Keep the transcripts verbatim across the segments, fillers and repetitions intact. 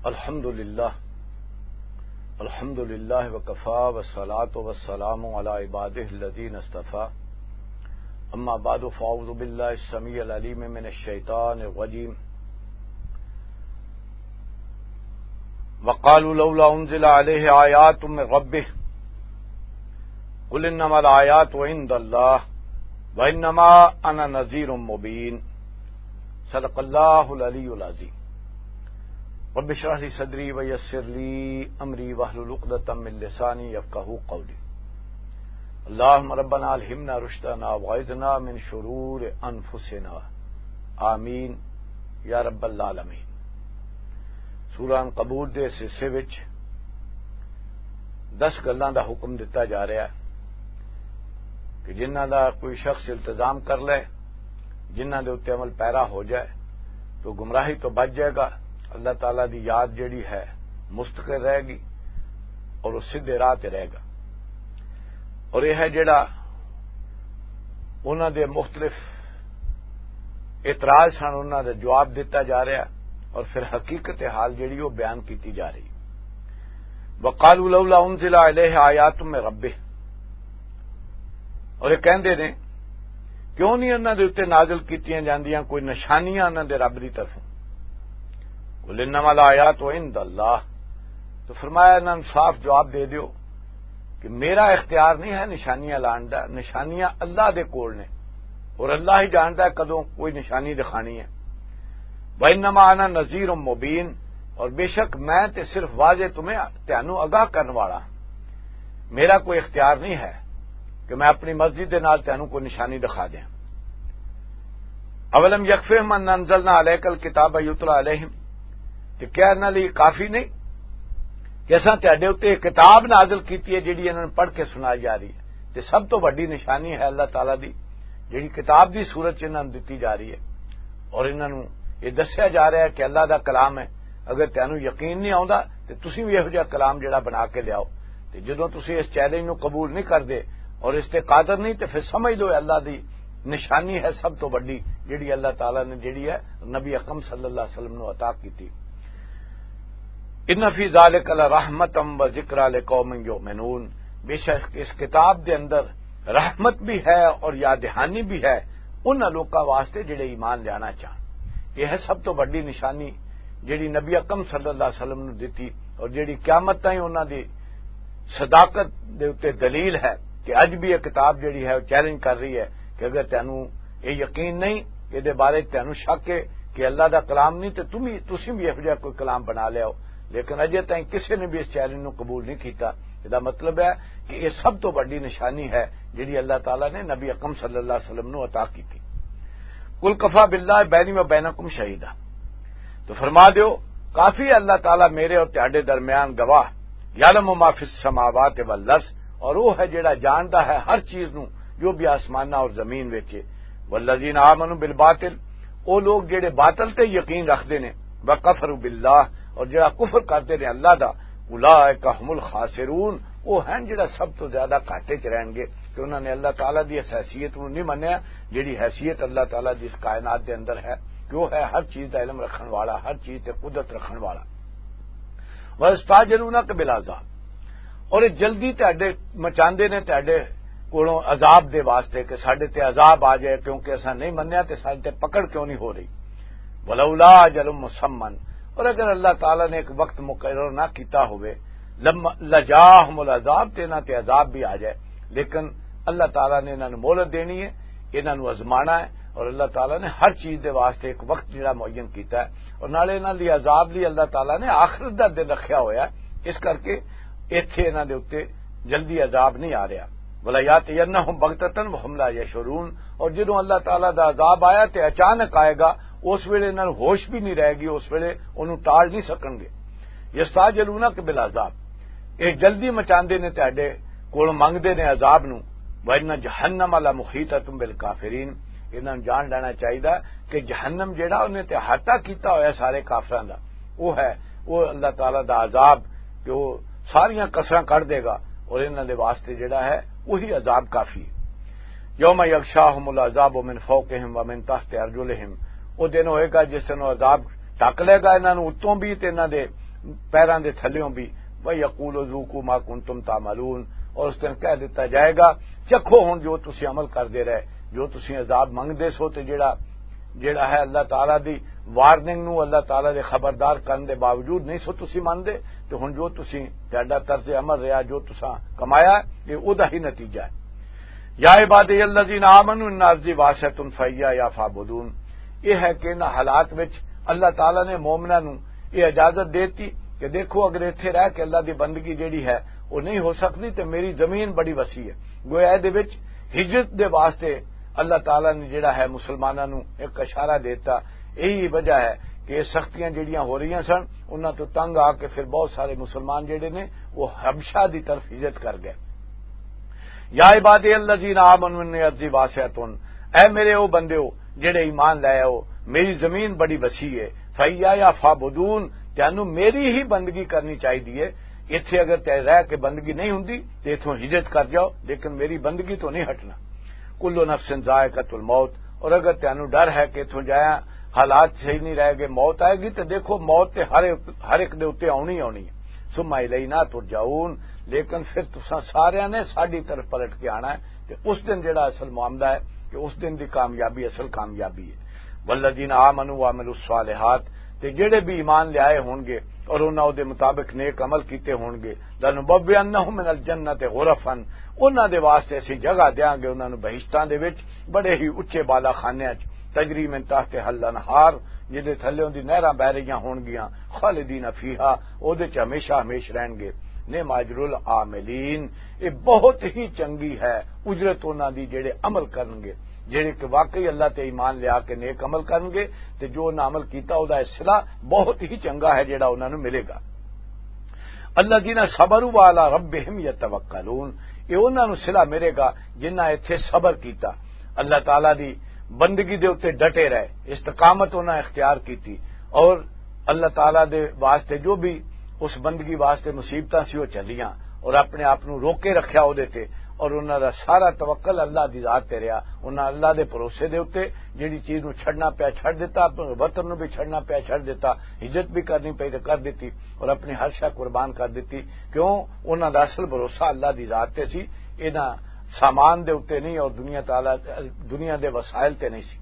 الحمد لله. الحمد لله وكفى، والصلاة والسلام على عباده الذين اصطفى. أما بعد، فأعوذ بالله السميع العليم من الشيطان الرجيم. وقالوا لولا أنزل عليه آيات من ربه. قل إنما الآيات عند الله وإنما أنا نذير مبين. صدق الله العلي العظيم. رب اشرح لي صدري ويسر لي أمري واحلل عقدة من لساني يفقهوا قولي. اللهم ربنا ألهمنا رشدنا وأعذنا من شرور أنفسنا. آمين يا رب العالمين. سورہ عنکبوت دے اس حصے وچ دس گلاں دا حکم دتا جا رہا ہے کہ جنہاں دا کوئی شخص التزام کر لے، جنہاں دے اُتے عمل پیرا ہو جائے، تو گمراہی تو بچ جائے گا، اللہ تعالیٰ دی یاد جڑی ہے مستقر رہے گی اور وہ سیدھے راہ تے رہے گا۔ اور یہ ہے جڑا انہاں دے مختلف اعتراض سن، انہاں دا جواب دتا جا رہا ہے اور پھر حقیقت حال جڑی وہ بیان کیتی جا رہی۔ وقالوا لولا انزل الیہ آیات من ربہ، اور یہ کہندے نے، کیوں نہیں انہاں دے اُتے نازل کیتیاں جاندیاں کوئی نشانیاں انہاں دے رب دی طرفوں؟ قل انما الآیات عند اللہ، تو فرمایا انہاں نوں صاف جواب دے دیو کہ میرا اختیار نہیں ہے نشانیاں لان دا، نشانیاں اللہ دے کول نے، اور اللہ ہی جاندا ہے کدوں کوئی نشانی دکھانی ہے۔ وانما انا نذیر مبین، اور بے شک میں تے صرف واضح تمہیں، تانوں آگاہ کرن والا ہاں۔ میرا کوئی اختیار نہیں ہے کہ میں اپنی مسجد دے نال تانوں کوئی نشانی دکھا دیاں۔ اولم یکفہم ان انزلنا علیک الکتاب یتلی علیہم، تے کیا انہاں لئی کافی نہیں کہ اساں تہاڈے اُتے ایک کتاب نازل کیتی ہے جڑی انہاں نوں پڑھ کے سنائی جا رہی ہے؟ تے سب تو وڈی نشانی ہے اللہ تعالیٰ دی، جڑی کتاب دی صورت چ انہاں نوں دتی جا رہی ہے، اور انہاں نوں یہ دسیا جا رہا ہے کہ اللہ دا کلام ہے۔ اگر تانوں یقین نہیں آوندا تے تسی بھی یہو جہا کلام جڑا بنا کے لیاؤ۔ تے جدوں تسی اس چیلنج نوں قبول نہیں کردے اور اس تے قادر نہیں، تے پھر سمجھ لو اللہ دی نشانی ہے سب تو وڈی، جڑی اللہ تعالیٰ نے، جڑی ہے نبی اکرم صلی اللہ علیہ وسلم نوں عطا کیتی۔ ان فی ذالک لرحمتا و ذکری لقوم یؤمنون، بے شک اس کتاب دے اندر رحمت بھی ہے اور یاد دہانی بھی ہے ان لوکاں واسطے جڑے ایمان لینا چاہن۔ یہ ہے سب تو وڈی نشانی جڑی نبی اکرم صلی اللہ علیہ وسلم نوں دتی اور جڑی قیامت تائیں انہاں دی صداقت دے اُتے دلیل ہے کہ اج بھی یہ کتاب جڑی ہے وہ چیلنج کر رہی ہے کہ اگر تانوں یہ یقین نہیں، یہ دے بارے تانوں شک ہے کہ اللہ دا کلام نہیں، تے تم بھی، تسی بھی یہو جہا کوئی کلام بنا لیا ہو۔ لیکن اجے تائیں کسے نے بھی اس چیلنج نوں قبول نہیں کیتا۔ اس دا مطلب ہے کہ یہ سب تو وڈی نشانی ہے جڑی اللہ تعالیٰ نے نبی اکرم صلی اللہ علیہ وسلم نوں عطا کیتی۔ قل کفی باللہ بینی و بینکم شہیدا، تو فرما دیو، کافی ہے اللہ تعالیٰ میرے اور تہاڈے درمیان گواہ۔ یعلم ما فی السماوات والارض، اور وہ ہے جڑا جاندا ہے ہر چیز نوں جو بھی آسماناں اور زمین وچ ہے۔ والذین آمنوا بالباطل، او لوگ جڑے باطل تے یقین رکھدے نے، وکفروا باللہ، اور جڑا کفر کردے نے اللہ دا، اولئک هم الخاسرون، او ہیں جڑا سب تو زیادہ گھاٹے چ رہن گے کہ انہاں نے اللہ تعالیٰ دی اس حیثیت نوں نہیں منیا جڑی حیثیت اللہ تعالیٰ دی اس کائنات دے اندر ہے کہ وہ ہے ہر چیز دا علم رکھن والا، ہر چیز تے قدرت رکھن والا۔ وَيَسْتَعْجِلُونَكَ بِالْعَذَابِ، اور یہ جلدی تہاڈے مچاندے نے تہاڈے کولوں عذاب دے واسطے کہ ساڈے تے عذاب آ جائے، کیونکہ اساں نہیں منیا تے ساڈے تے پکڑ کیوں نہیں ہو رہی۔ وَلَوْلَا أَجَلٌ مُّسَمًّى، اور اگر اللہ تعالیٰ نے ایک وقت مقرر نہ کیتا ہوئے، لم-، لَجَاءَهُمُ الْعَذَابُ، تے انہاں تے عذاب بھی آ جائے، لیکن اللہ تعالیٰ نے انہاں نوں مہلت دینی ہے، انہاں نوں آزمانا ہے، اور اللہ تعالیٰ نے ہر چیز دے واسطے ایک وقت جڑا معین کیتا ہے، اور نالے انہاں دی عذاب لئی اللہ تعالیٰ نے آخرت دا دن رکھیا ہویا ہے، اس کرکے ایتھے انہاں دے اُتے جلدی عذاب نہیں آ رہا۔ وَلَا يَأْتِيَنَّهُمْ بَغْتَةً وَهُمْ لَا يَشْعُرُونَ، اور جدوں اللہ تعالیٰ دا عذاب آیا تے اچانک آئے گا، اس ویلے انہاں نوں ہوش بھی نہیں رہے گی، اس ویلے انہوں ٹال نہیں سکن گے۔ یستعجلونک بالعذاب، یہ جلدی مچاندے نے تہاڈے کول، منگدے نے عذاب نوں۔ وَإِنَّ جَهَنَّمَ لَمُحِيطَةٌ بِالْكَافِرِينَ، انہاں نوں جان لینا چاہیدا کہ جہنم جڑا انہیں تے احاطہ کیتا ہویا سارے کافراں دا، وہ ہے، وہ اللہ تعالیٰ دا عذاب کہ وہ ساریاں کسراں کڈ دے گا، اور انہاں دے واسطے جڑا ہے وہی عذاب کافی ہے۔ یوم یغشاہم العذاب من فوقہم ومن تحت ارجلہم، وہ دن ہوئے گا جس دن وہ عذاب ڈھک لے گا انہاں نوں اتوں بھی تے انہاں دے پیراں دے تھلیوں بھی، وَيَقُولُوا ذُوقُوا مَا كُنتُمْ تَعْمَلُونَ، اور اس دن کہہ دیتا جائے گا، "چکھو ہن جو تسی عمل کردے رہے، جو تسی عذاب منگدے سو، تے جڑا، جڑا ہے اللہ تعالیٰ دی وارننگ نو، اللہ تعالیٰ دے خبردار کرن دے باوجود نہیں سو تسی مندے، تے ہن جو تسی، تہاڈا طرز عمل رہیا، جو تساں کمایا، یہ اودا ہی نتیجہ ہے۔" "یا عبادی الذین آمنوا ان ارضی واسعۃ فایا یا فعبدون۔" یہ ہے کہ انہاں حالات وچ اللہ تعالیٰ نے مومناں نو یہ اجازت دیتی کہ دیکھو، اگر ایتھے رہ کے اللہ دی بندگی جیڑی ہے، وہ نہیں ہو سکتی، تے میری زمین بڑی وسیع ہے۔ گویا اے دے وچ ہجرت دے واسطے اللہ تعالیٰ نے جیڑا ہے مسلماناں نو ایک اشارہ دیتا۔ یہی وجہ ہے کہ یہ سختیاں جیڑیاں ہو رہیاں سن، انہاں تو تنگ آ کے پھر بہت سارے مسلمان جیڑے نے، وہ حبشہ دی طرف ہجرت کر گئے۔ "یا عبادی الذین آمنوا ان ارضی واسعۃ۔" اے میرے او بندیو، جڑے ایمان لے آؤ، میری زمین بڑی وسیع ہے۔ "فایا یا فعبدون۔" تینوں میری ہی بندگی کرنی چاہیے ہے۔ اتھے اگر تے رہ کے بندگی نہیں ہوندی، تے اتھوں ہجرت کر جاؤ، لیکن میری بندگی تو نہیں ہٹنا۔ "کل نفس ذائقۃ الموت۔" اور اگر تینوں ڈر ہے کہ اتھوں جایا حالات صحیح نہیں رہ گئے، موت آئے گی، تے دیکھو، موت تے ہر، ہر ایک دے اُتے آنی آنی ہے۔ "ثم الینا ترجعون۔" لیکن پھر تساں ساریاں نے ساڈی طرف پلٹ کے آنا ہے، تے اس دن جڑا اصل معاملہ ہے کہ اس دن دی کامیابی اصل کامیابی ہے۔ "والذین آمنوا وعملوا الصالحات۔" تے جڑے بھی ایمان لے آئے ہون گے اور انہاں دے مطابق نیک عمل کیتے ہون گے، "لنبوئنہم من الجنۃ غرفا۔" انہاں دے واسطے اسی جگہ دیاں گے انہاں نوں بہشتاں دے وچ، بڑے ہی اچے بالا خانیاں چ، "تجری من تحتہا الانہار۔" جدے تھلیوں دی نہراں بہ رہیاں ہون گیاں، "خالدین فیہا۔" او دے چ ہمیشہ ہمیش رہن گے۔ "نعم اجر العاملین۔" یہ بہت ہی چنگی ہے اجرت انہاں دی جڑے عمل کرن گے، جڑے کہ واقعی اللہ تے ایمان لیا کے نیک عمل کرن گے، تے جو انہاں عمل کیتا، او دا صلہ بہت ہی چنگا ہے جڑا انہاں نوں ملے گا۔ "الذین صبروا وعلی ربہم یتوکلون۔" یہ انہاں نوں صلہ ملے گا جنہاں ایتھے صبر کیتا، اللہ تعالیٰ دی بندگی دے اُتے ڈٹے رہے، استقامت انہاں اختیار کیتی، اور اللہ تعالیٰ دے واسطے جو بھی اس بندگی واسطے مصیبتاں سی، وہ چلیاں، اور اپنے آپ نوں روکے رکھیا او دے تے، اور انہاں دا سارا توکل اللہ دی ذات تے رہیا۔ انہاں اللہ دے بھروسے دے اُتے جڑی چیز نوں چھڈنا پیا چھڈ دتا، اپنے وطن نوں بھی چھڈنا پیا چھڈ دتا، ہجرت بھی کرنی پئی تے کر دتی، اور اپنی ہر شے قربان کر دتی۔ کیوں؟ انہاں دا اصل بھروسہ اللہ دی ذات تے سی، انہاں سامان دے اُتے نہیں اور دنیا تعالیٰ، دنیا دے وسائل تے نہیں سی۔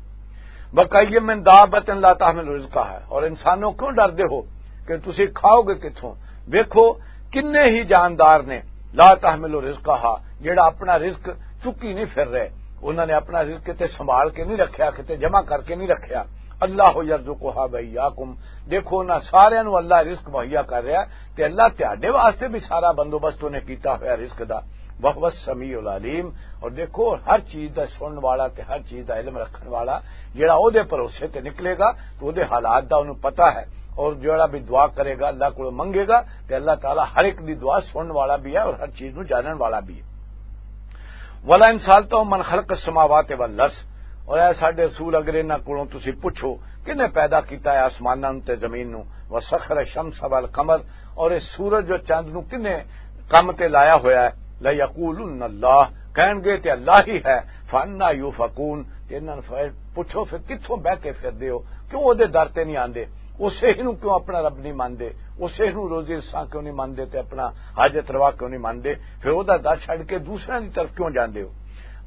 "وَكَأَيِّن مِّن دَابَّةٍ لَّا تَحْمِلُ رِزْقَهَا۔" اور انسانوں، کیوں ڈردے ہو کہ تسی کھاؤ گے کتھوں؟ ویکھو، کنے ہی جاندار نے، "لَا تَحْمِلُ رِزْقَهَا"، جڑا اپنا رزق چکی نہیں پھر رہے۔ انہاں نے اپنا رزق کتے سنبھال کے نہیں رکھیا، کتے جمع کر کے نہیں رکھیا۔ "اللہ یرزقها وإیاکم۔" دیکھو، انہاں ساریاں نوں اللہ رزق مہیا کر رہا، تے اللہ تہاڈے واسطے بھی سارا بندوبست انہیں کیتا ہویا رزق دا۔ "وہو السمیع العلیم۔" اور دیکھو، ہر چیز دا سنن والا تے ہر چیز دا علم رکھن والا، جڑا او دے بھروسے تے نکلے گا، تو او دے حالات دا انہوں پتہ ہے۔ اور جڑا بھی دعا کرے گا، اللہ کو منگے گا، تے اللہ تعالیٰ ہر ایک دی دعا سنن والا بھی ہے اور ہر چیز نوں جانن والا بھی ہے۔ "وَلَئِن سَأَلْتَهُم مَّنْ خَلَقَ السَّمَاوَاتِ وَالْأَرْضَ۔" اور اے ساڈے رسول، اگر انہاں کولوں تسی پوچھو، کنے پیدا کیتا ہے آسماناں نوں تے زمین نوں؟ "وَسَخَّرَ الشَّمْسَ وَالْقَمَرَ۔" اور اس سورج اور چاند نوں کنے کم تے لایا ہویا ہے؟ "لَيَقُولُنَّ اللَّهُ۔" کہن گے تے اللہ ہی ہے۔ "فَأَنَّىٰ يُؤْفَكُونَ؟" تے انہاں نوں پھر پوچھو، پھر کتھوں بہ کے پھر دیو؟ کیوں او دے در تے نہیں آندے؟ اسے ہی نوں کیوں اپنا رب نہیں ماندے؟ اسے ہی نوں روزی رساں کیوں نہیں ماندے تے اپنا حاجت روا کیوں نہیں ماندے؟ پھر او دا در چھڈ کے دوسرے دی طرف کیوں جاندے ہو؟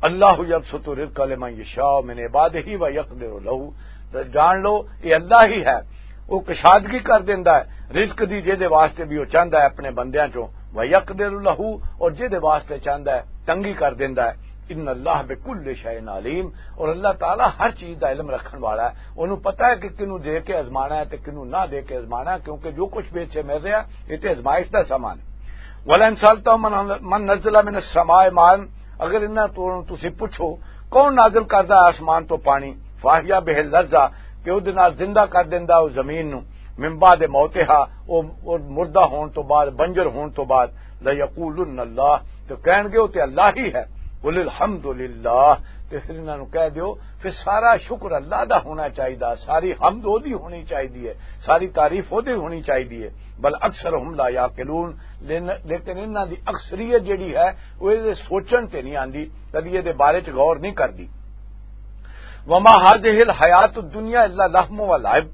"اللہ یبسط الرزق لمن یشاء من عبادہ و یقدر لہ۔" تے جان لو، یہ اللہ ہی ہے، وہ کشادگی کر دیندا ہے رزق دی، جے دے واسطے بھی وہ چاہندا ہے اپنے بندیاں چوں، و یقدر لہ، اور جے دے واسطے چاہندا ہے تنگی کر دیندا ہے۔ ان اللہ بکل شیء علیم، اور اللہ تعالیٰ ہر چیز دا علم رکھن والا ہے، انہوں پتہ ہے کہ کنوں دے کے ازمانا ہے تے کنوں نہ دے کے ازمانا ہے، کیونکہ جو کچھ بھی اتھے مل رہا ہے، یہ تے ازمائش دا سامان ہے۔ ولئن سألتهم من، من نزل من السماء ماء، اگر انہاں تو تسی پوچھو، کون نازل کردا ہے آسمان تو پانی؟ فاحیا بہ الارض، کہ او دے نال زندہ کر دیندا او زمین نو، من بعد موتہا، او، او مردہ ہون تو بعد، بنجر ہون تو بعد، لیقولن اللہ، تو کہن گے او تے اللہ ہی ہے۔ قل الحمد للہ، تے پھر انہاں نو کہہ دیو، پھر سارا شکر اللہ دا ہونا چاہیدا، ساری حمد او دی ہونی چاہیدی ہے، ساری تعریف او دی ہونی چاہیدی ہے۔ بل اکثرهم لا یعقلون، لین-، لیکن انہاں دی اکثریت جڑی ہے، وہ اے سوچن تے نہیں آندی، کدی اے دے بارے چ غور نہیں کردی۔ وما هذه الحیات الدنیا الا لهو و لعب،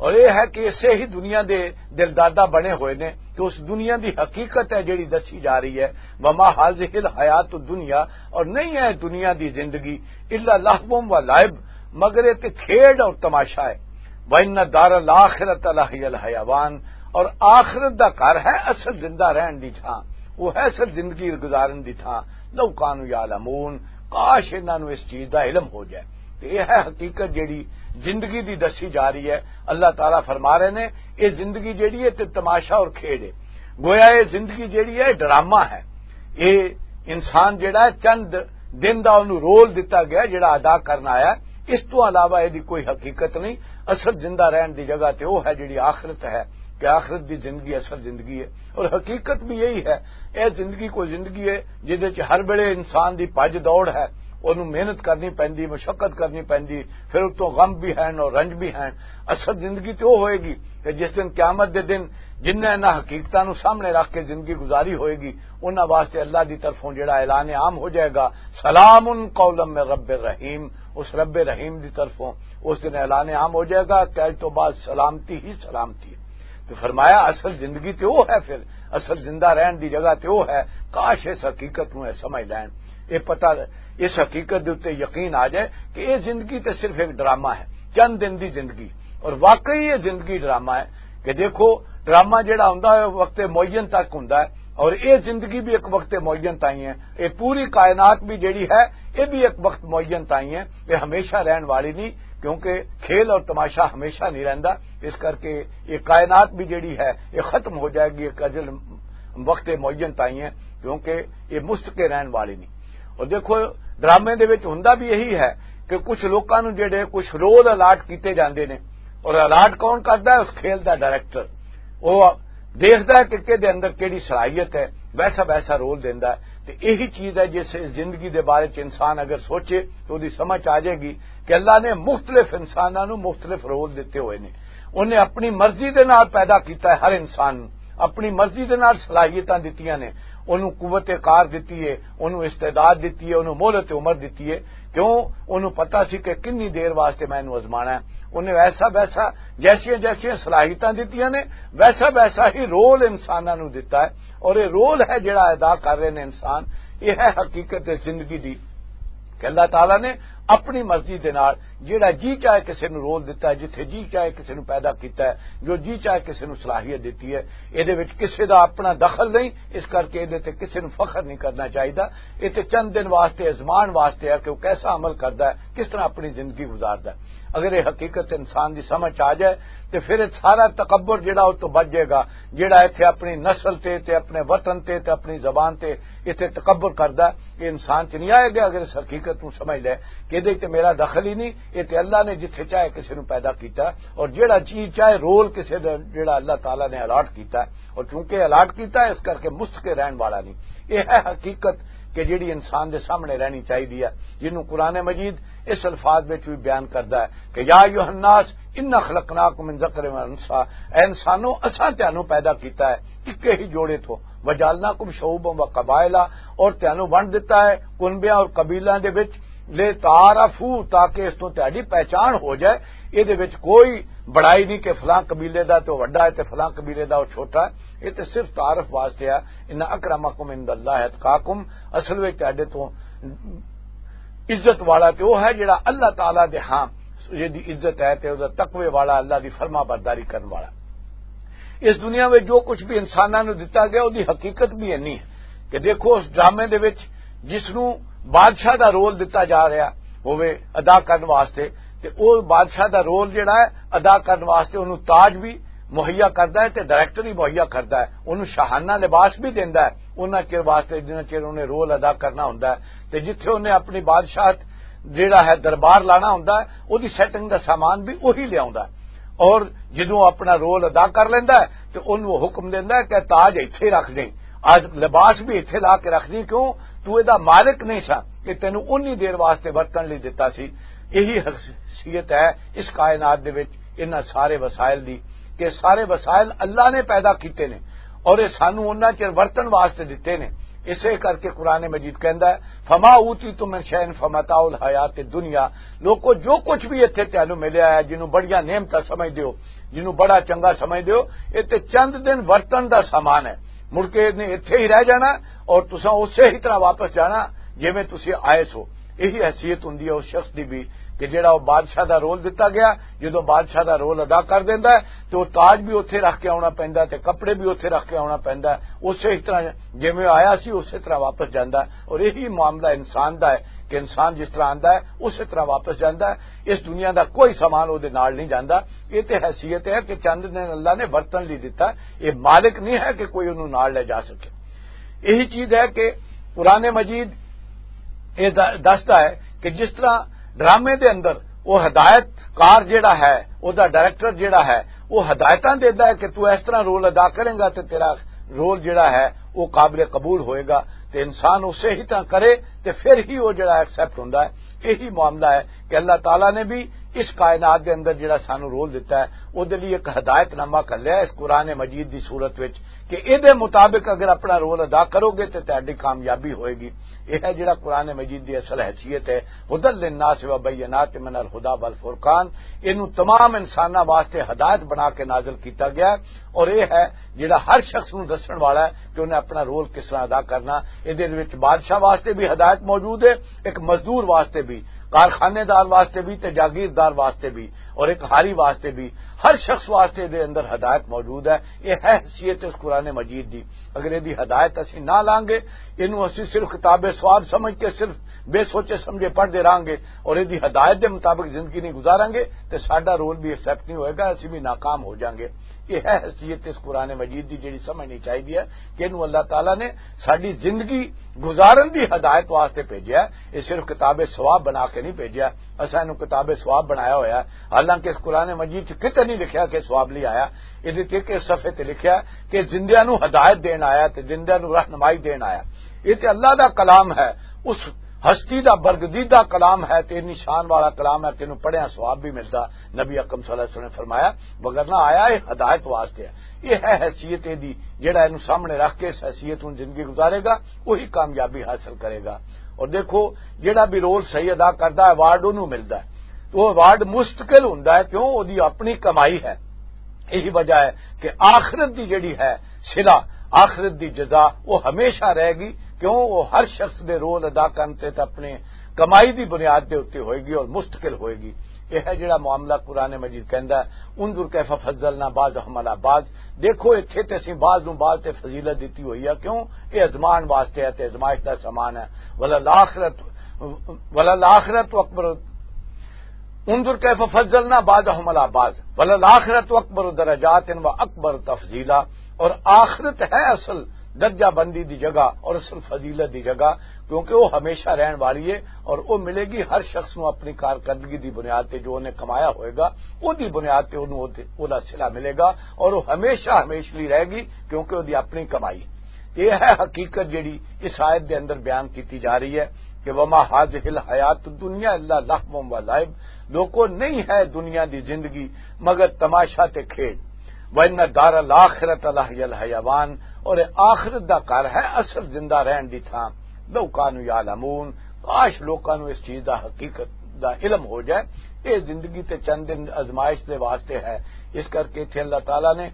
اور یہ ہے کہ اسے ہی دنیا دے دلدادہ بنے ہوئے نے، تو اس دنیا دی حقیقت ہے جڑی دسی جا رہی ہے، وما هذه الحیات الدنیا، اور نہیں ہے دنیا دی زندگی الا لهو و لعب، مگر یہ تے کھیڈ اور تماشا ہے۔ وان دار الاخرۃ لهی الحیوان، اور آخرت دا گھر ہے اصل زندہ رہن دی تھاں، وہ ہے اصل زندگی گزارن دی تھاں۔ لو کانوا یعلمون، کاش انہاں نوں اس چیز دا علم ہو جائے۔ تے یہ ہے حقیقت جڑی زندگی دی دسی جا رہی ہے۔ اللہ تعالیٰ فرما رہے نے، یہ زندگی جڑی ہے تے تماشا اور کھیڈ ہے۔ گویا یہ زندگی جڑی ہے، ڈرامہ ہے۔ یہ انسان جڑا ہے، چند دن دا انہوں رول دتا گیا جڑا ادا کرنا آیا، اس تو علاوہ یہ کوئی حقیقت نہیں۔ اصل زندہ رہن دی جگہ تے وہ ہے جڑی آخرت ہے، کہ آخرت دی زندگی اصل زندگی ہے۔ اور حقیقت بھی یہی ہے۔ یہ زندگی کوئی زندگی ہے جہدے چ ہر ویلے انسان دی بھج دوڑ ہے، انہوں محنت کرنی پیندی، مشقت کرنی پیندی، پھر اتوں غم بھی ہیں اور رنج بھی ہیں۔ اصل زندگی تو وہ ہوئے گی کہ جس دن، قیامت دے دن، جنہیں انہاں حقیقتاں نوں سامنے رکھ کے زندگی گزاری ہوئے گی، انہاں واسطے اللہ دی طرفوں جڑا اعلان عام ہو جائے گا، سلام قولا من رب الرحیم، اس رب رحیم دی طرفوں اس دن اعلان عام ہو جائے گا کہ اج تو بعد سلامتی ہی سلامتی ہے۔ تو فرمایا، اصل زندگی تے وہ ہے، پھر اصل زندہ رہن دی جگہ تے وہ ہے۔ کاش اس حقیقت نوں اے سمجھ لین، اے پتہ، اس حقیقت دے اُتے یقین آ جائے کہ اے زندگی تے صرف ایک ڈرامہ ہے، چند دن دی زندگی۔ اور واقعی یہ زندگی ڈرامہ ہے کہ دیکھو، ڈرامہ جڑا ہوندا ہے، وقت معین تک ہوندا ہے، اور اے زندگی بھی ایک وقت معین تائیں ہے۔ اے پوری کائنات بھی جڑی ہے، اے بھی ایک وقت معین تائیں ہے، اے ہمیشہ رہن والی نہیں، کیونکہ کھیل اور تماشا ہمیشہ نہیں رہندا۔ اس کر کے یہ کائنات بھی جڑی ہے، یہ ختم ہو جائے گی ایک اجل، وقت معین تائیں ہے، کیونکہ یہ مستقل رہن والی نہیں۔ اور دیکھو، ڈرامے دے وچ ہوندا بھی یہی ہے کہ کچھ لوکاں نوں جڑے کچھ رول الاٹ کیتے جاندے نے، اور الاٹ کون کردا ہے؟ اس کھیل دا ڈائریکٹر۔ وہ دیکھدا ہے کہ کہدے اندر کیڑی صلاحیت ہے، ویسا ویسا رول دیندا ہے۔ تے یہی چیز ہے، جس زندگی دے بارے چ انسان اگر سوچے تو دی سمجھ آ جائے گی کہ اللہ نے مختلف انساناں نوں مختلف رول دتے ہوئے نے۔ انہیں اپنی مرضی دے نال پیدا کیتا ہے ہر انسان نوں، اپنی مرضی دے نال صلاحیتاں دتیاں نے، انہوں قوت کار دتی ہے، انہوں استعداد دتی ہے، انہوں مہلت عمر دتی ہے۔ کیوں؟ انہوں پتا سی کہ کنی دیر واسطے میں انہوں آزمانا ہے۔ انہیں ایسا ویسا، جیسیاں جیسیاں صلاحیتاں دتیاں نے، ویسا ویسا ہی رول انساناں نوں دتا ہے۔ اور یہ رول ہے جڑا ادا کر رہے نے انسان، یہ ہے حقیقت زندگی دی۔ کہ اللہ تعالیٰ نے اپنی مرضی دے نال جیڑا جی چاہے کسے نوں رول دتا ہے، جتھے جی چاہے کسے نوں پیدا کیتا ہے، جو جی چاہے کسے نوں صلاحیت دتی ہے، اے دے وچ کسے دا اپنا دخل نہیں۔ اس کر کے اے دے تے کسے نوں فخر نہیں کرنا چاہیدا۔ اے تے چند دن واسطے، ازمان واسطے ہے کہ وہ کیسا عمل کردا ہے، کس طرح اپنی زندگی گزاردا ہے۔ اگر یہ حقیقت انسان دی سمجھ آ جائے، تے پھر یہ سارا تکبر جڑا، وہ تو بچ جائے گا، جڑا ایتھے اپنی نسل تے، تے اپنے وطن تے، تے اپنی زبان تے ایتھے تکبر کردا ہے۔ یہ انسان چ نہیں آئے گا۔ اگر اس حقیقت نوں سمجھ لے کہ ادھر تے میرا دخل ہی نہیں، یہ تے اللہ نے جتھے چاہے کسی نوں پیدا کیتا، اور جیڑا چیز چاہے رول کسی دا جیڑا اللہ تعالیٰ نے الاٹ کیتا، اور چونکہ الاٹ کیتا ہے، اس کر کے مستقل رہن والا نہیں۔ یہ ہے حقیقت کہ جیڑی انسان دے سامنے رہنی چاہیے، جنوں قرآن مجید اس الفاظ وچ بھی بیان کردا ہے کہ یا ایھا الناس انا خلقناکم من ذکر و انثی، اے انسانوں، اساں تانوں پیدا کیتا ہے اکے ہی جوڑے تو، وجعلناکم شعوبا و قبائل، اور تانوں ونڈ دتا ہے کنبیاں اور قبیلیاں دے وچ، لے تعارفو، تاکہ اس تو تہاڈی پہچان ہو جائے۔ اے دے وچ کوئی بڑائی نہیں کہ فلاں قبیلے دا تو وڈا ہے تے فلاں قبیلے دا او چھوٹا ہے۔ اے تے صرف تعارف واسطے ہے۔ ان اکرمکم عند اللہ اتقاکم، اصل وچ تہاڈے تو عزت والا تے وہ ہے جڑا اللہ تعالیٰ دے ہاں جدی عزت ہے تے وہ تقوی والا، اللہ دی فرما برداری کرن والا۔ اس دنیا میں جو کچھ بھی انساناں نوں دتا گیا، وہ دی حقیقت بھی اینی ہے کہ دیکھو، اس ڈرامے دے وچ جس نوں بادشاہ دا رول دتا جا رہا ہوئے ادا کرن واسطے، تے وہ بادشاہ دا رول جڑا ہے ادا کرن واسطے، انہوں تاج بھی مہیا کردا ہے تے ڈائریکٹر ہی مہیا کردا ہے، انہوں شاہانہ لباس بھی دیندا ہے انہاں چیر واسطے، جنہاں چیر انہیں رول ادا کرنا ہوندا ہے۔ تے جتھے انہیں اپنی بادشاہت جیڑا ہے دربار لانا ہوندا ہے، اودی سیٹنگ دا سامان بھی وہی لے آوندا ہے۔ اور جدوں اپنا رول ادا کر لیندا ہے تے انہوں وہ حکم دیندا ہے کہ تاج ایتھے رکھ دیں، آج لباس بھی ایتھے لا کے رکھ دیں، کیوں؟ تو اے دا مالک نہیں سا کہ تینوں اونی دیر واسطے ورتن لئی دتا سی۔ یہی حیثیت ہے اس کائنات دے وچ انہاں سارے وسائل دی، کہ سارے وسائل اللہ نے پیدا کیتے نے اور یہ سانو انہاں چ ورتن واسطے دتے نے۔ اسے کر کے قرآن مجید کہندا ہے، "فما اوتیتم من شیء فمتاع الحیات الدنیا۔" لوکو، جو کچھ بھی اتھے تانوں ملیا ہے، جنوں بڑیاں نعمتاں سمجھدے ہو، جنوں بڑا چنگا سمجھدے ہو، یہ تے چند دن ورتن دا سامان ہے، مڑ کے نے اتھے ہی رہ جانا اور تساں اسے ہی طرح واپس جانا جویں تسی آئے سو۔ یہی حیثیت ہوندی ہے اس شخص دی بھی، کہ جڑا وہ بادشاہ دا رول دتا گیا، جدوں بادشاہ دا رول ادا کر دیندا ہے، تے وہ تاج بھی اوتھے رکھ کے آنا پیندا ہے، تے کپڑے بھی اوتھے رکھ کے آنا پیندا ہے۔ اسے ہی طرح جویں آیا سی، اسے طرح واپس جاندا ہے۔ اور یہی معاملہ انسان دا ہے کہ انسان جس طرح آندا ہے، اسے طرح واپس جاندا ہے۔ اس دنیا دا کوئی سامان او دے نال نہیں جاندا۔ یہ تے حیثیت ہے کہ چند دن اللہ نے ورتن لئی دتا، یہ مالک نہیں ہے کہ کوئی انہوں نال لے جا سکے۔ یہی چیز ہے کہ قرآن مجید یہ د-، دستا ہے کہ جس طرح ڈرامے دے اندر وہ ہدایت کار جڑا ہے، وہ دا ڈائریکٹر جڑا ہے، وہ ہدایتاں دیندا ہے کہ تو اس طرح رول ادا کریں گا تے تیرا رول جڑا ہے، وہ قابل قبول ہوئے گا، تے انسان اسے ہی طرح کرے، تے پھر ہی وہ جڑا ایکسپٹ ہوندا ہے۔ یہی معاملہ ہے کہ اللہ تعالیٰ نے بھی اس کائنات دے اندر جڑا سانو رول دتا ہے، وہ دے لئی ایک ہدایت نامہ کر لیا اس قرآن مجید دی صورت وچ، کہ اے دے مطابق اگر اپنا رول ادا کرو گے تے تہاڈی کامیابی ہوئے گی۔ یہ ہے جڑا قرآن مجید دی اصل حیثیت ہے، ہدی للناس و بینات من الہدی والفرقان۔ اینو تمام انساناں واسطے ہدایت بنا کے نازل کیتا گیا ہے، اور یہ ہے جڑا ہر شخص نوں دسن والا ہے کہ انہیں اپنا رول کس طرح ادا کرنا۔ یہ دے وچ بادشاہ واسطے بھی ہدایت موجود ہے، ایک مزدور واسطے بھی، کارخانے دار واسطے بھی تے جاگیردار واسطے بھی، اور ایک ہاری واسطے بھی، ہر شخص واسطے دے اندر ہدایت موجود ہے۔ یہ ہے حیثیت اس قرآن مجید دی۔ اگر یہ دی ہدایت اسی نہ لانگے، اینو اسی صرف کتاب ثواب سمجھ کے صرف بے سوچے سمجھے پڑھدے رہانگے اور یہ دی ہدایت دے مطابق زندگی نہیں گزارانگے، تے ساڈا رول بھی ایکسپٹ نہیں ہوئے گا، اسی بھی ناکام ہو جانگے۔ یہ ہے حیثیت اس قرآن مجید دی، جڑی سمجھنی چاہیے ہے کہ اینو اللہ تعالیٰ نے ساڈی زندگی گزارن دی ہدایت واسطے بھیجیا ہے۔ یہ صرف کتاب ثواب بنا کے نہیں بھیجیا، اساں اینو کتاب ثواب بنایا ہویا ہے۔ حالانکہ اس قرآن مجید چ کتے نہیں لکھیا کہ ثواب لے آیا۔ یہ تے ایک صفحے تے لکھیا ہے کہ زندیاں نو ہدایت دین آیا تے زندیاں نو رہنمائی دین آیا۔ یہ تے اللہ دا کلام ہے، اس ہستی دا برگزیدہ کلام ہے، تے نشان والا کلام ہے کہ اینو پڑھیا ثواب بھی ملدا۔ نبی اکرم صلی اللہ علیہ وسلم نے فرمایا، مگر نہ آیا، یہ ہدایت واسطے ہے۔ یہ ہے حیثیت دی، جڑا اینو سامنے رکھ کے اس حیثیت نو زندگی گزارے گا، وہی کامیابی حاصل کرے گا۔ اور دیکھو، جڑا بھی رول صحیح ادا کردا ہے، ایوارڈ اونوں ملدا ہے۔ تو وہ ایوارڈ مستقل ہوندا ہے، کیوں؟ اودی اپنی کمائی ہے۔ یہی وجہ ہے کہ آخرت دی جڑی ہے صلہ، آخرت دی جزا، وہ ہمیشہ رہے گی، کیوں؟ وہ ہر شخص دے رول ادا کرن تے تے اپنے کمائی دی بنیاد دے اُتے ہوئے گی اور مستقل ہوئے گی۔ یہ ہے جڑا معاملہ قرآن مجید کہندا ہے، "انظر کیف فضلنا بعضهم علی بعض۔" دیکھو، اتھے تے اسی بعض نوں بعض تے فضیلت دتی ہوئی ہے۔ کیوں؟ یہ ازمان واسطے ہے تے ازمائش دا سامان ہے۔ وللآخرۃ، وللآخرۃ اکبر، "انظر کیف فضلنا بعضهم علی بعض، وللآخرۃ اکبر درجات و اکبر تفضیلا۔" اور آخرت ہے اصل درجہ بندی دی جگہ اور اصل فضیلت دی جگہ، کیونکہ وہ ہمیشہ رہن والی ہے اور وہ ملے گی ہر شخص نو اپنی کارکردگی دی بنیاد تے، جو انہیں کمایا ہوئے گا، وہ دی بنیاد تے انہوں وہ، وہ دا صلہ ملے گا اور وہ ہمیشہ ہمیش لیے رہے گی، کیونکہ وہ دی اپنی کمائی ہے۔ یہ ہے حقیقت جڑی اس آیت دے اندر بیان کیتی جا رہی ہے کہ "وما هذه الحیات الدنیا الا لهو و لعب۔" لوکو، نہیں ہے دنیا دی زندگی مگر تماشا تے کھیڈ۔ "وان دار الاخرۃ لہی الحیوان۔" اور اے آخرت دا گھر ہے اصل زندہ رہن دی تھاں۔ "لو کانوا یعلمون۔" کاش لوکاں نوں اس چیز دا، حقیقت دا علم ہو جائے۔ یہ زندگی تے چند دن ازمائش دے واسطے ہے، اس کر کے اتھے اللہ تعالیٰ نے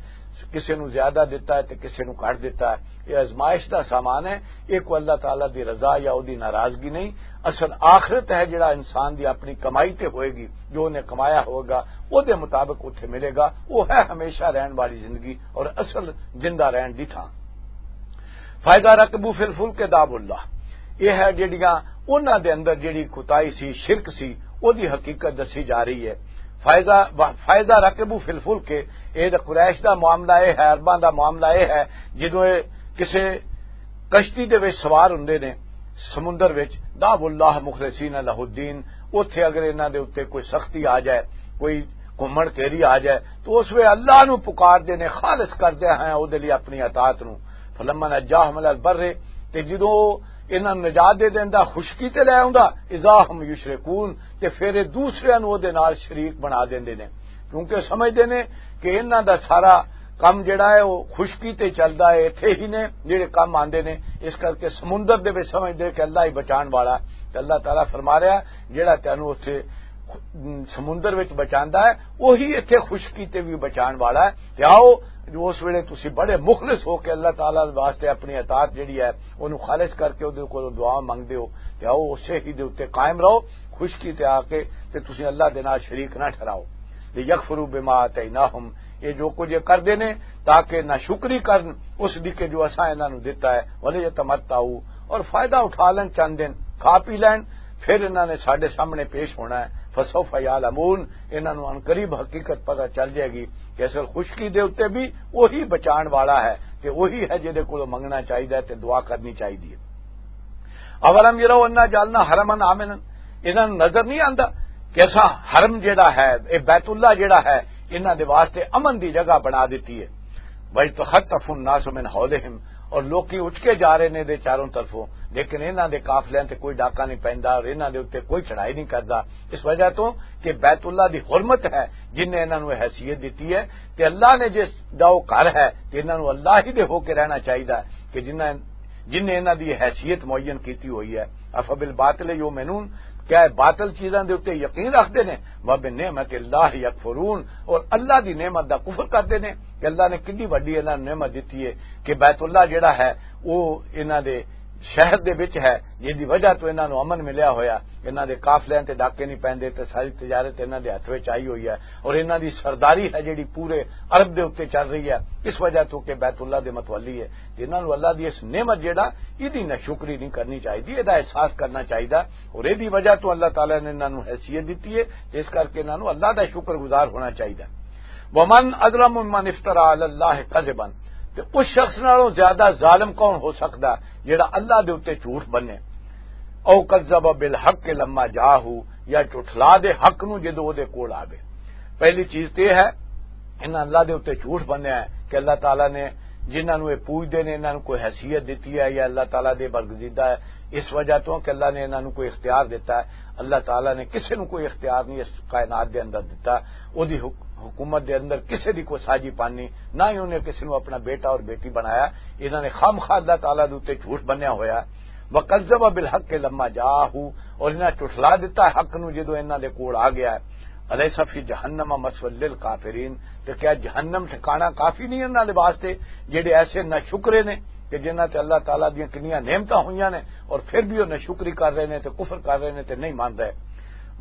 کسے نوں زیادہ دتا ہے تے کسے نوں گھٹ دتا ہے۔ یہ ازمائش دا سامان ہے، یہ کوئی اللہ تعالیٰ دی رضا یا او دی ناراضگی نہیں۔ اصل آخرت ہے جڑا انسان دی اپنی کمائی تے ہوئے گی، جو انہیں کمایا ہوگا، او دے مطابق اتھے ملے گا۔ وہ ہے ہمیشہ رہن والی زندگی اور اصل زندہ رہن دی تھاں۔ "فاذا رکبوا فی الفلک دعوا اللہ۔" یہ ہے جڑیاں انہاں دے اندر جڑی کوتاہی سی، شرک سی، او دی حقیقت دسی جا رہی ہے۔ "فاذا، فاذا رکبوا فی الفلک۔" اے دا قریش دا معاملہ اے ہے، عرباں دا معاملہ اے ہے، جدوں اے کسے کشتی دے وچ سوار ہوندے نے سمندر وچ، "دعوا اللہ مخلصین لہ الدین۔" اوتھے اگر انہاں دے اُتے کوئی سختی آ جائے، کوئی گھمن گھیری آ جائے، تو اس ویلے اللہ نو پکار دے نے، خالص کر دے ہیں او دے لئی اپنی اطاعت نو۔ "فلما نجاہم الی البر۔" تے جدوں انہاں نوں نجات دے دیندا، خشکی تے لے آوندا، "اذا ہم یشرکون۔" تے پھر یہ دوسریاں نوں او دے نال شریک بنا دیندے نے، کیونکہ سمجھدے نے کہ انہاں دا سارا کم جڑا ہے، وہ خشکی تے چلدا ہے، اتھے ہی نے جڑے کم آندے نے، اس کرکے سمندر دے وچ سمجھدے کہ اللہ ہی بچان والا ہے۔ تے اللہ تعالیٰ فرما رہا ہے، جیڑا تینوں اتھے سمندر وچ بچاندا ہے، وہی اتھے خشکی تے بھی بچان والا ہے۔ تے آؤ، جو اس ویلے تسی بڑے مخلص ہو کے اللہ تعالیٰ دے واسطے اپنی اطاعت جیڑی ہے، اونوں خالص کر کے اودے کولوں دعا منگدے ہو، تے آؤ، اسے ہی دے اُتے قائم رہو، خشکی تے آ کے، تے تسی اللہ دے نال شریک نہ ٹھہراؤ۔ لیکفروا بما آتیناہم، یہ جو کچھ یہ کردے نے تاکہ نہ شکری کرن اس دی کہ جو اساں انہاں نوں دتا ہے۔ ولیتمتعوا، اور فائدہ اٹھا لین چند دن، کھا پی لین، پھر انہاں نے ساڈے سامنے پیش ہونا ہے۔ فسوف یعلمون، انہاں نوں عنقریب حقیقت پتہ چل جائے گی کہ اصل خشکی دے اُتے بھی وہی بچان والا ہے، تے وہی ہے جہدے کولوں منگنا چاہیدا ہے تے دعا کرنی چاہیدی ہے۔ اولم یروا انا جعلنا حرما آمنا، انہاں نوں نظر نہیں آندا کہ اساں حرم جیڑا ہے، اے بیت اللہ جیڑا ہے، انہاں دے واسطے امن دی جگہ بنا دتی ہے۔ وَيَتَخَطَّفُ النَّاسُ مِنْ حَوْلِهِمْ، اور لوکی اٹھ کے جا رہے نے دے چاروں طرفوں، لیکن انہاں دے قافلیاں تے کوئی ڈاکہ نہیں پیندا اور انہاں دے اُتے کوئی چڑھائی نہیں کردا، اس وجہ تو کہ بیت اللہ دی حرمت ہے، جن نے انہاں نوں حیثیت دتی ہے۔ تے اللہ نے جس دا وہ گھر ہے، تے انہاں نوں اللہ ہی دے ہو کے رہنا چاہیدا ہے کہ جنہاں، جن نے انہاں دی حیثیت معین کیتی ہوئی ہے۔ افبالباطل یؤمنون، کیا یہ باطل چیزاں دے اُتے یقین رکھدے نے؟ وبنعمت اللہ یکفرون، اور اللہ دی نعمت دا کفر کردے نے کہ اللہ نے کتنی وڈی انہاں نوں نعمت دتی ہے کہ بیت اللہ جڑا ہے، وہ انہاں دے شہر دے وچ ہے، جس دی وجہ تو انہاں نوں امن ملیا ہویا، انہاں دے قافلیاں تے ڈاکے نہیں پیندے تے ساری تجارت انہاں دے ہتھ وچ آئی ہوئی ہے، اور انہاں دی سرداری ہے جڑی پورے عرب دے اُتے چل رہی ہے، اس وجہ تو کہ بیت اللہ دے متولی ہے۔ تے انہاں نوں اللہ دی اس نعمت جڑا، ایدی ناشکری نہیں کرنی چاہیدی، ایدا احساس کرنا چاہیدا، اور ایدی وجہ تو اللہ تعالیٰ نے انہاں نوں حیثیت دتی ہے، تے اس کر کے انہاں نوں اللہ دا شکر گزار ہونا چاہیدا۔ ومن اظلم ممن افترى على الله كذبا، تے اس شخص نالوں زیادہ ظالم کون ہو سکدا جڑا اللہ دے اُتے جھوٹ بنے؟ او کذب بالحق لما جاءه، یا جھٹلا دے حق نوں جدوں او دے کول آوے۔ پہلی چیز تے ہے، انہاں اللہ دے اُتے جھوٹ بنیا ہے کہ اللہ تعالیٰ نے جنہاں نوں یہ پوجدے نے، انہاں نوں کوئی حیثیت دتی ہے یا اللہ تعالیٰ دے برگزیدہ ہے، اس وجہ تو کہ اللہ نے انہاں نوں کوئی اختیار دتا ہے۔ اللہ تعالیٰ نے کسے نوں کوئی اختیار نہیں اس کائنات دے اندر دتا۔ او دی حک-، حکومت دے اندر کسے دی کوئی ساجی پانی، نہ ہی انہیں کسے نوں اپنا بیٹا اور بیٹی بنایا۔ انہاں نے خامخواہ اللہ تعالیٰ دے اُتے جھوٹ بنیا ہویا۔ وکذب بالحق لما جاءه، اور انہاں جھٹلا دتا حق نوں جدوں انہاں دے کول آ گیا ہے۔ الیس فی جہنم مثوی للکافرین، تے کیا جہنم ٹھکانہ کافی نہیں انہاں دے واسطے، جڑے ایسے ناشکرے نے کہ جنہاں تے اللہ تعالیٰ دیاں کنیاں نعمتاں ہوئیاں نے اور پھر بھی وہ ناشکری کر رہے نے تے کفر کر رہے نے تے نہیں مان رہے۔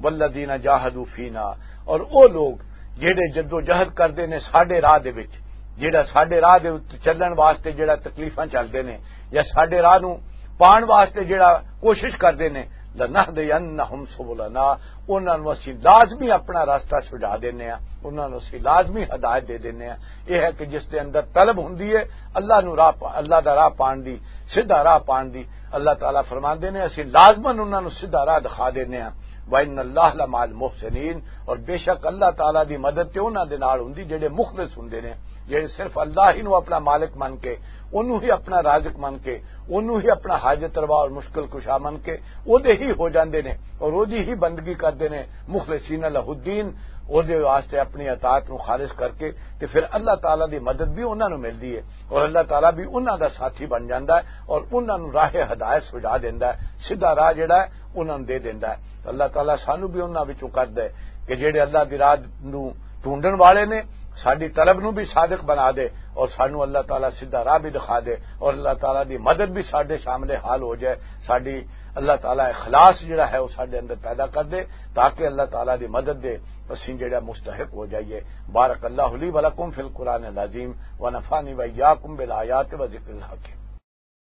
والذین جاہدوا فینا، اور وہ لوگ جڑے جدوجہد کردے نے ساڈے راہ دے وچ، جڑا ساڈے راہ دے وچ چلن واسطے جڑا تکلیفاں چلدے نے یا ساڈے راہ نوں پان واسطے جڑا کوشش کردے نے، لنہدینہم سبلنا، انہاں نوں اسی لازمی اپنا راستہ سجا دینے آں، انہاں نوں اسی لازمی ہدایت دے دینے آں۔ یہ ہے کہ جس دے اندر طلب ہوندی ہے اللہ نوں راہ پا-، اللہ دا راہ پان دی، سیدھا راہ پان دی، اللہ تعالیٰ فرماندے نے اسی لازماً انہاں نوں سیدھا راہ دکھا دینے آں۔ وَإِنَّ اللَّهَ لَمَعَ الْمُحْسِنِينَ، اور بے شک اللہ تعالیٰ دی مدد تے انہاں دے نال ہوندی جڑے مخلص ہوندے نے، جڑے صرف اللہ ہی نوں اپنا مالک من کے، انہوں ہی اپنا رازق من کے، انہوں ہی اپنا حاجت روا اور مشکل کشا من کے، او دے ہی ہو جاندے نے اور او دی ہی بندگی کردے نے، مخلصین لہ الدین، او دے واسطے اپنی اطاعت نوں خالص کر کے، تے پھر اللہ تعالیٰ دی مدد بھی انہاں نوں ملدی ہے اور اللہ تعالیٰ بھی انہاں دا ساتھی بن جاندا ہے اور انہاں نوں راہ ہدایت سجا دیندا ہے، سیدھا راہ جڑا ہے انہاں نوں دے دیندا ہے۔ اللہ تعالیٰ سانوں بھی انہاں وچوں کر دے کہ جڑے اللہ دی راہ نوں ڈھونڈن والے نے، ساڈی طلب نوں بھی صادق بنا دے اور سانوں اللہ تعالیٰ سیدھا راہ بھی دکھا دے اور اللہ تعالیٰ دی مدد بھی ساڈے شامل حال ہو جائے۔ ساڈی اللہ تعالیٰ اخلاص جڑا ہے وہ ساڈے اندر پیدا کر دے، تاکہ اللہ تعالیٰ دی مدد دے اسیں جڑا مستحق ہو جائیے۔ بارک اللہ لی ولکم فی القرآن العظیم، ونفعنی وإیاکم بالآیات و ذکر الحکیم۔